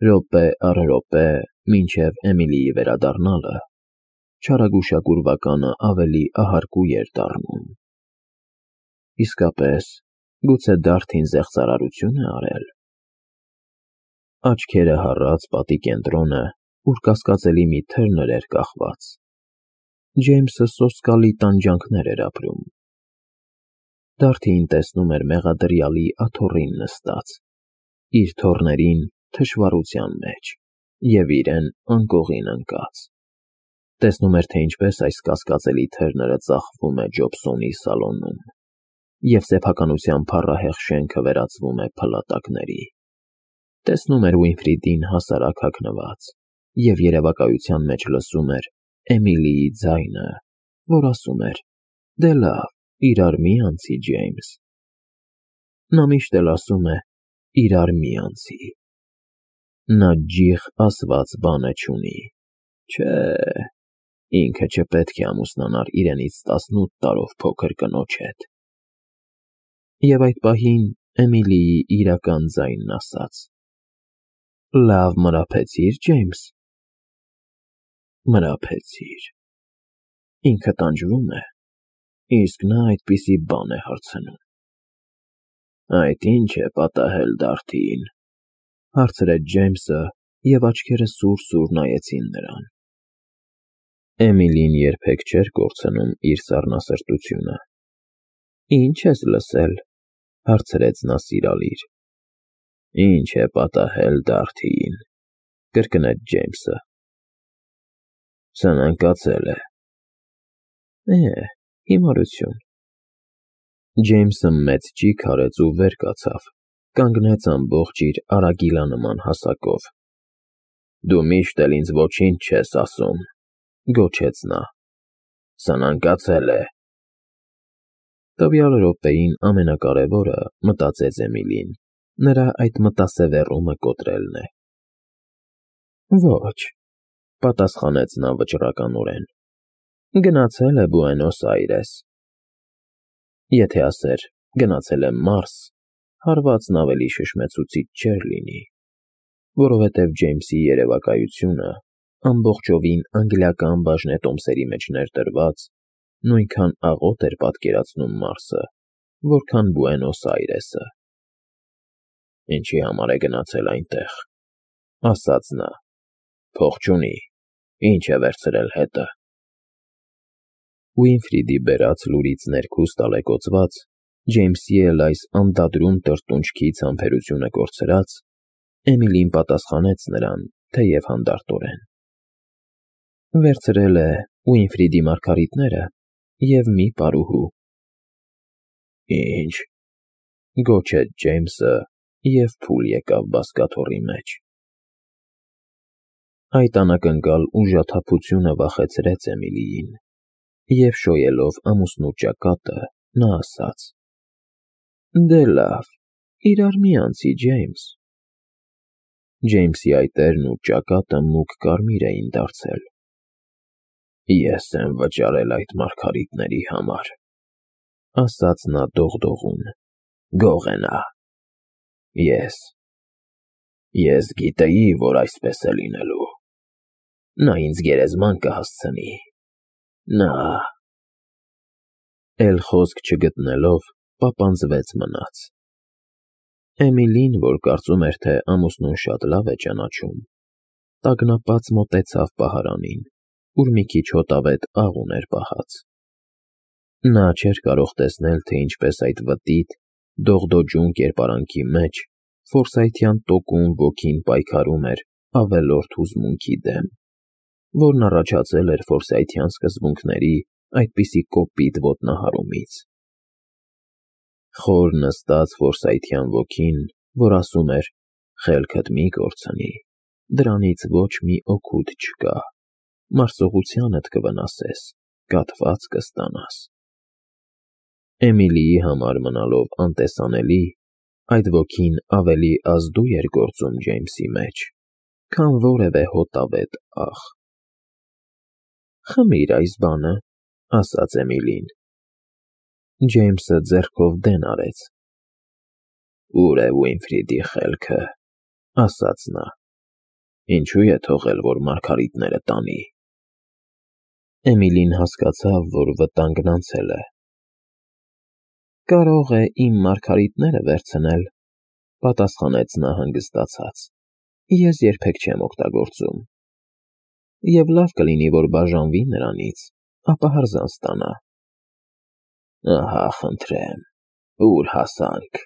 Րոպե առ րոպե, մինչև Էմիլիի վերադառնալը, չարագուշակուրվականը ավելի ահարկու էր դառնում։ Իսկապես, գուցե Դարթին զեղծարարություն է արել։ Աչքերը հառած պատի կենտրոնը, ուր կասկածելի մի թելներ էր կախված։ Ջեյմսը սոսկալի տանջանքներ էր ապրում։ Դարթին տեսնում էր մեղադրյալի աթոռին նստած, իր թոռներին թշվառության մեջ և իրեն անկողին ընկած։ Տեսնում էր, թե ինչպես այս կասկածելի թեռները ծախվում է Ջոբսոնի սալոնում, և սեփականության փառահեղ շենքը վերածվում է փլատակների։ Տեսնում էր Ուինֆրիդին հասարակ հագնված և երևակայության մեջ լսում էր Էմիլիի ձայնը, որ ասում էր. «Դե լավ, իրար մի անցի, Ջեյմս»։ Նա միշտ էլ ասում է. «Իրար մի անցի»։ Նա ջիղ ասված բանը չունի։ Չէ, ինքը չպետք է ամուսնանար իրենից 18 տարով փոքր կնոջ հետ։ Եվ այդ պահին Էմիլիի իրական ձայնն ասաց. «Լավ մրափեցի՞ր, Ջեյմս»։ Մրափեցիր։ Ինքը տանջվում է, իսկ նա այդպիսի բան է հարցնում։ Այդ ի՞նչ է պատահել Դարթին, հարցրեց Ջեյմսը, և աչքերը սուր-սուր նայեցին նրան։ Էմիլին երբեք չէր կորցնում իր սառնասրտությունը։ Ինչ ես լսել, հարցրեց նա սիրալիր։ Ինչ է պատահել Դարթին, կրկնեց Ջեյմսը։ Սնանկացել է։ Հիմարություն։ Ջեյմսը մեծ ճիգ արեց ու վեր կացավ, կանգնեց ամբողջ իր արագիլանման հասակով։ Դու միշտ էլ ինձ ոչինչ չես ասում, գոչեց նա։ Սնանկացել է։ Տվյալ րոպեին ամենակարևորը, մտածեց Էմիլին, նրա այդ մտասևեռումը կոտրելն է։ Ոչ, պատասխանեց նա վճռականորեն։ Գնացել է Բուենոս Այրես։ Եթե ասեր գնացել է Մարս, հարվածն ավելի շշմեցուցիչ չէր լինի, որովհետև Ջեյմսի երևակայությունը, ամբողջովին անգլիական բաժնետոմսերի մեջ ներդրված, նույնքան աղոտ էր պատկերացնում Մարսը, որքան Բուենոս Այրեսը։ Ինչի համար է գնացել այնտեղ, ասաց նա։ Փող չունի, ինչ է վերցրել հետը։ Ուինֆրիդի բերած լուրից ներքուստ ալեկոծված, Ջեյմսի էլ այս անդադրում տրտունջքից համբերությունը կորցրած, Էմիլին պատասխանեց նրան, թեև հանդարտորեն։ Վերցրել է Ուինֆրիդի մարգարիտները և մի պարուհու։ Ինչ, գոչեց Ջեյմսը և փուլ եկավ բազկաթոռի մեջ։ Այդ անակնկալ ուժաթափությունը վախեցրեց Էմիլիին, և շոյելով ամուսնու ճակատը, նա ասաց. Դե լավ, իրար մի անցի, Ջեյմս։ Ջեյմսի այտերն ու ճակատը մուգ կարմիր էին դարձել։ Ես եմ վճարել այդ մարգարիտների համար, ասաց նա դողդողուն։ Գող է նա։ Ես գիտեի, որ այսպես է լինելու։ Նա ինձ գերեզման կհասցնի։ Նա… Էլ խոսք չգտնելով, պապանձվեց մնաց։ Էմիլին, որ կարծում էր, թե ամուսնուն շատ լավ է ճանաչում, տագնապած մոտեցավ պահարանին, ուր մի քիչ հոտավետ աղ ուներ պահած։ Նա չէր կարող տեսնել, թե ինչպես այդ վտիտ, դողդոջուն կերպարանքի մեջ ֆորսայթյան տոկուն ոգին պայքարում էր ավելորդ հուզմունքի դեմ, որն առաջացել էր ֆորսայթյան սկզբունքների այդպիսի կոպիտ ոտնահարումից։ Խոր նստած ֆորսայթյան ոգին, որ ասում էր. խելքդ մի կորցնի, դրանից ոչ մի օգուտ չկա, մարսողությանդ կվնասես, կաթված կստանաս։ Էմիլիի համար մնալով անտեսանելի, այդ ոգին ավելի ազդու էր գործում Ջեյմսի մեջ, քան որևէ հոտավետ աղ։ Խմիր այս բանը, ասաց Էմիլին։ Ջեյմսը ձեռքով դեն արեց։ Ուր է Ուինֆրիդի խելքը, ասաց նա։ Ինչու է թողել, որ Մարգարիտները տանի։ Էմիլին հասկացավ, որ վտանգն անցել է։ Կարող է իմ Մարգարիտները վերցնել, պատասխանեց նա հանգստացած։ Ես երբեք չեմ օգտագործում։ Եվ լավ կլինի, որ բաժանվի նրանից, ապա հրզան ստանա։ Ահա, խնդրեմ, ուր հասանք,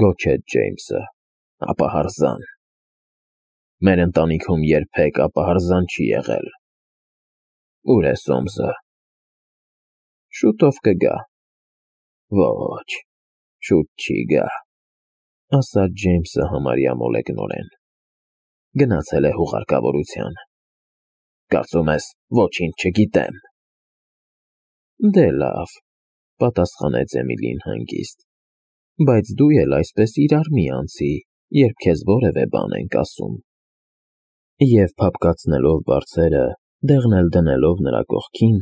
գոչեց Ջեյմսը, ապա հրզան։ Մեր ընտանիքում երբեք ապա հրզան չի եղել։ Ուր է Սոմսը։ Շուտով կգա։ Ոչ, շուտ չի գա, ասաց Ջեյմսը համարյա մոլեգնորեն։ Գնացել է հուղարկավորության։ Կարծում ես, ոչինչ չգիտեմ։ Դե լավ, պատասխանեց Էմիլին հանգիստ, բայց դու էլ այսպես իրար մի անցի, երբ քեզ որևէ բան ենք ասում։ Եվ փափկացնելով բարձերը, դեղն էլ դնելով նրա կողքին,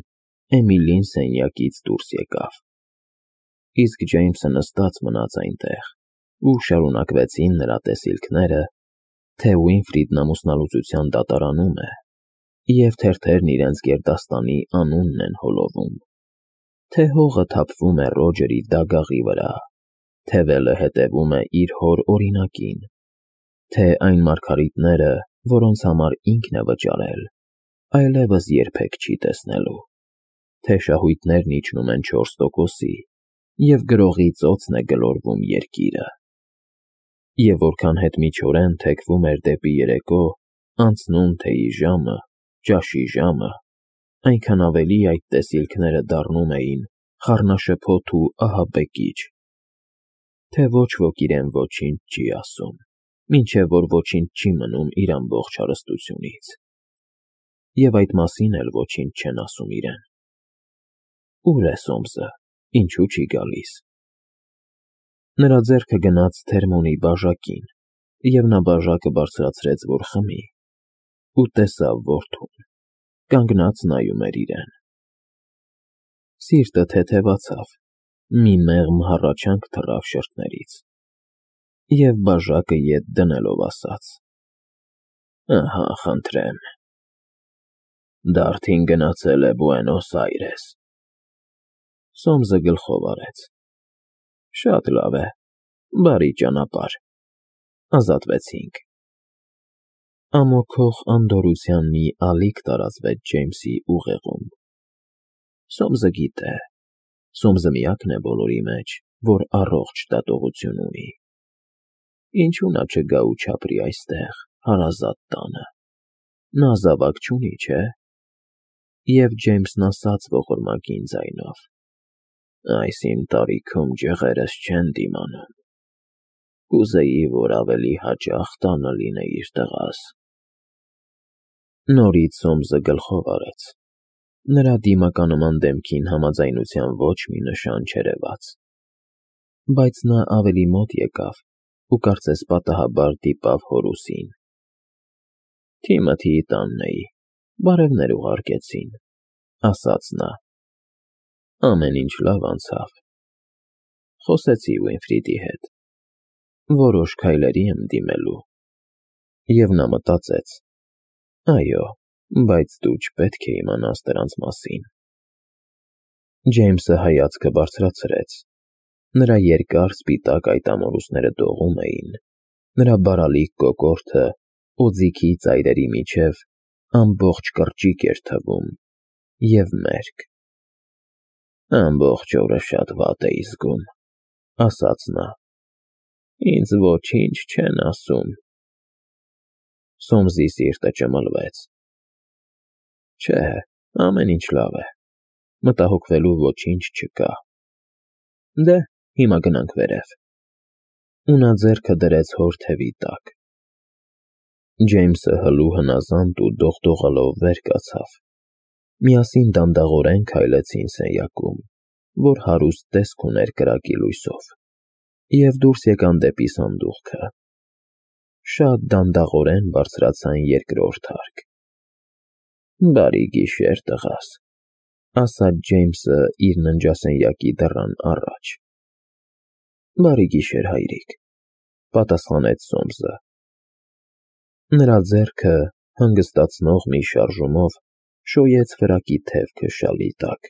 Էմիլին սենյակից դուրս եկավ։ Իսկ Ջեյմսը նստած մնաց այնտեղ, ու շարունակվեցին նրա տեսիլքները, թե Ուինֆրիդն ամուսնալուծության դատարանում է, և թերթերն իրենց գերդաստանի անունն են հոլովում, թե հողը թափվում է Ռոջերի դագաղի վրա, թե Վելը հետևում է իր հոր օրինակին, թե այն Մարգարիտները, որոնց համար ինքն է վճարել, այլևս երբեք չի տեսնելու, թե շահույթներն իջնում են 4%-ի, և գրողի ծոցն է գլորվում երկիրը։ Եվ որքան հետմիջորեն թեքվում էր դեպի երեկո, անցնում թեյի ժամը, ճաշի ժամը, այնքան ավելի այդ տեսիլքները դառնում էին խառնաշփոթ ու ահաբեկիչ, թե ոչ ոք իրեն ոչինչ չի ասում, մինչև որ ոչինչ չի մնում իր ամբողջ հարստությունից, և այդ մասին էլ ոչինչ չեն ասում իրեն։ Ուր է Սոմսը, ինչու չի գալիս։ Նրա ձեռքը գնաց թերմոնի բաժակին, և նա բաժակը բարձրացրեց, որ խմի, ու տեսավ որդուն, կանգնած նայում էր իրեն։ Սիրտը թեթևացավ, մի մեղմ հառաչանք թռավ շրթներից, և բաժակը ետ դնելով ասաց. Ահա, խնդրեմ։ Դարդին գնացել է Բուենոս Այրես։ Սոմսը գլխով արեց։ Շատ լավ է, բարի ճանապարհ։ Ազատվեցինք։ Ամոքող անդորրության մի ալիք տարածվեց Ջեյմսի ուղեղում։ Սոմսը գիտե, Սոմսը միակն է բոլորի մեջ, որ առողջ դատողություն ունի։ Ինչու նա չգա ու չապրի այստեղ, հարազատ տանը։ Նա զավակ չունի, չէ։ Եվ Ջեյմսն ասաց ողորմակին ձայնով. Այս իմ տարիքում ջղերս չեն դիմանում։ Կուզեի, որ ավելի հաճախ տանը լինեիր տղաս։ Նորից Սոմսը գլխով արեց։ Նրա դիմականման դեմքին համաձայնության ոչ մի նշան չերևաց։ Բայց նա ավելի մոտ եկավ ու կարծես պատահաբար դիպավ Հորուսին։ Թիմոթիի տանն էի, բարևներ ուղարկեցին, ասաց նա։ Ամեն ինչ լավ անցավ։ Խոսեցի Ուինֆրիդի հետ։ Որոշ քայլերի եմ դիմելու։ Եվ նա մտածեց. այո, բայց դու չպետք է իմանաս դրանց մասին։ Ջեյմսը հայացքը բարձրացրեց։ Նրա երկար սպիտակ այտամորուսները դողում էին, նրա բարալիկ կոկորդը օձիքի ծայրերի միջև ամբողջ կրճիկ էր թվում, և մերկ։ Ամբողջ օրը շատ վատ էի զգում, ասաց նա։ Ինձ ոչինչ չեն ասում։ Սոմսի սիրտը ճմլվեց։ Չէ, ամեն ինչ լավ է, մտահոգվելու ոչինչ չկա։ Դե, հիմա գնանք վերև։ Ու նա ձեռքը դրեց հոր թևի տակ։ Ջեյմսը հլու հնազանդ ու դողդողալով վեր կացավ։ Միասին դանդաղորեն քայլեցին սենյակում, որ հարուստ տեսք ուներ կրակի լույսով, և դուրս եկան դեպի սանդուղքը։ Շատ դանդաղորեն բարձրացան երկրորդ հարկ։ Բարի գիշեր, տղաս, ասաց Ջեյմսը իր ննջասենյակի դռան առաջ։ Բարի գիշեր, հայրիկ, պատասխանեց Սոմսը։ Նրա ձեռքը հանգստացնող մի շարժումով շոյեց վրակի թևքը շալի տակ։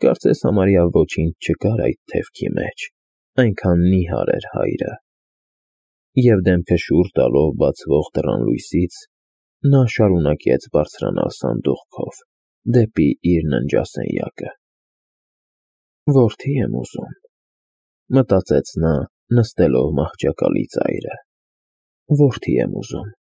Կարծես համարյա ոչինչ չկար այդ թևքի մեջ, այնքան նիհար էր հայրը։ Եվ դեմքը շուռ տալով բացվող դռան լույսից, նա շարունակեց բարձրանալ սանդուղքով դեպի իր ննջասենյակը։ «Որդի եմ ուզում», մտածեց նա, նստելով մահճակալի ծայրը, «որդի եմ ուզում»։